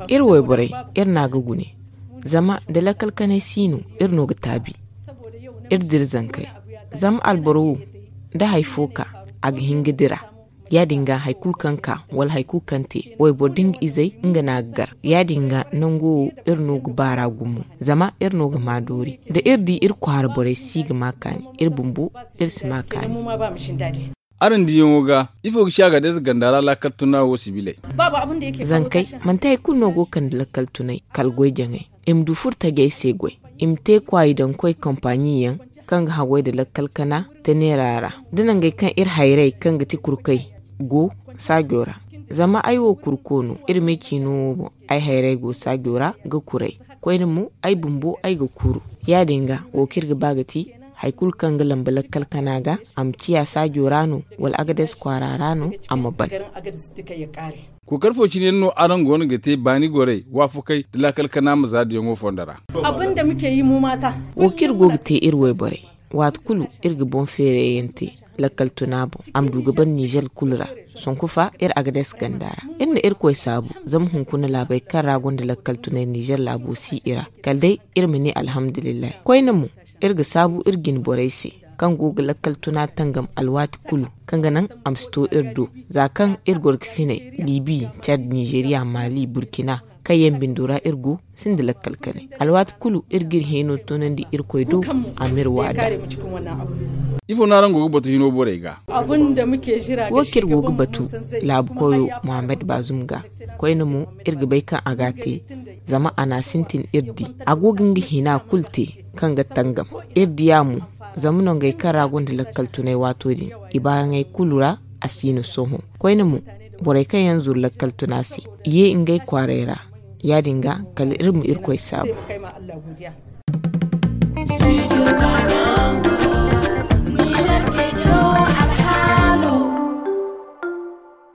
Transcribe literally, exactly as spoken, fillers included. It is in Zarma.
Iri wayborey, iri n'a ga gune. Zama da lakkal kanay si no, iri no ga taabi. Iri dira zankey. Zama alboro wo, da hari fo ka, a ga hin ga dira. Ya-din ga hari kulu kaŋ ka wala hari kulu kaŋ te, wayboro da nga izey, nga no a ga gar. Ya-din ga nango wo, iri no ga baar'a gumo. Zama iri no ga maa doori. Da iri di iri kwaara borey si ga maa kaani, iri bumbo, iri si maa kaani. Araŋ diyaŋo ga, ifo ga ci a ga deesa ganda ra laakal tuna wo sibiley? Zankey, manti hari kulu no go ga kande lakkal tunay kala goy-jaŋay. I ma du furo tajey se goy. I ma te kwaayi daŋ koy kampaaɲi yaŋ kaŋ ga haggoy nda lakkal kana, teneera ra, da nangey kaŋ iri hayray kaŋ ga ti kurkey go saajo ra. Zama ay wo kurko no, iri me ciino wo boŋ, ay hayray go saajo ra ga kuray. Koyne mo, ay bumbo, ay ga kuru. Ya-din ga, wo kaŋ iri ga ba ga ti, hari kulu kaŋ ga lamba lakkal kana ga, a ma ciya saajo ra no, wala Agades kwaara ra no, a ma ban. Kookari fo cine yaŋ no araŋ goono ga te baani gorey, waafakey nda lakkal kana ma za diyaŋo fondo ra. Wo kaŋ iri go ga te iri wayborey, waati kulu iri ga boŋ feerayyaŋ te lakkal tuna boŋ, a ma du ga ban Nizer kulu ra. Sonku fa, iri Agades ganda ra. Iri na Irkoy saabu, zama hunkuna laabey kaŋ ra gonda lakkal tunay Nizer laabo si i ra. Kala day, iri ma ne alhamdulillahi. Koyne mo, iri ga saabu iri jine borey se, kaŋ go ga lakkal tuna tangam alwaati kulu, kaŋ ga naŋ a ma si to iri do. Za kaŋ iri gorkasiney, Libi, Cad, Nizeriya, Mali, Burkina, kaŋ yaŋ bindo ra iri go, sinda lakkal kanay. Alwaati kulu iri ga iri hẽeno toonandi Irkoy do, a m'iri waada. Ifo no araŋ go ga batu hino borey ga? Wo kaŋ iri go ga batu laabu koyo Muhammad Bazum ga. Koyne mo, iri ga bay kaŋ a ga a te, zama a n'a sintin iri di. A go ga nga hina kulu te kaŋ ga tangam. Iri diya mo, zama nongey kaŋ ra gonda lakkal tunay waato din, i baayaŋey kulu ra a si no sohõ. Koyne mo, borey kaŋ yaŋ zuru lakkal tuna se, i ye ngey kwaarey ra. Ya-din ga, kala iri ma Irkoy saabu.